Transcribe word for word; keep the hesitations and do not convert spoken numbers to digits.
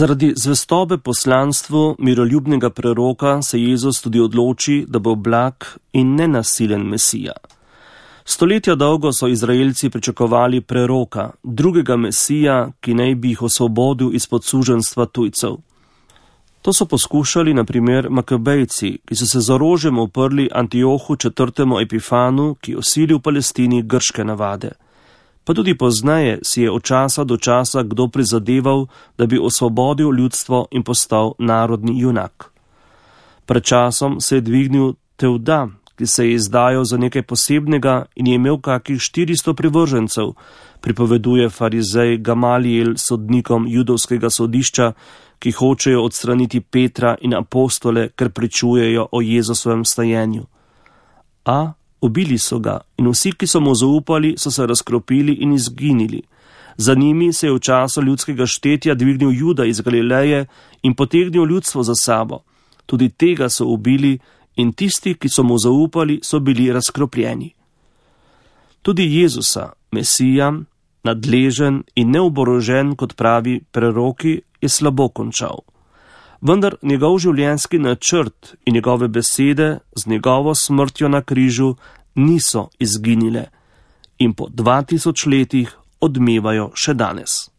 Zaradi zvestobe poslanstvu miroljubnega preroka se Jezus tudi odloči, da bo blag in nenasilen Mesija. Stoletja dolgo so Izraelci pričakovali preroka, drugega Mesija, ki naj bi jih osvobodil izpod suženjstva tujcev. To so poskušali na primer Makabejci, ki so se z orožjem uprli Antiohu četrtemu Epifanu, ki je osilil v Palestini grške navade. Pa tudi pozneje si je od časa do časa kdo prizadeval, da bi osvobodil ljudstvo in postal narodni junak. Pred časom se je dvignil Tevda, ki se je izdajal za nekaj posebnega in je imel kakih štiristo privržencev, pripoveduje farizej Gamalijel sodnikom judovskega sodišča, ki hočejo odstraniti Petra in apostole, ker pričujejo o Jezusovem stajenju. A ubili so ga in vsi, ki so mu zaupali, so se razkropili in izginili. Za njimi se je v času ljudskega štetja dvignil Juda iz Galileje in potegnil ljudstvo za sabo. Tudi tega so ubili in tisti, ki so mu zaupali, so bili razkropljeni. Tudi Jezusa, Mesija, nadležen in neoborožen, kot pravi preroki, je slabo končal. Vendar njegov življenjski načrt in njegove besede z njegovo smrtjo na križu niso izginile in po dva tisoč letih odmevajo še danes.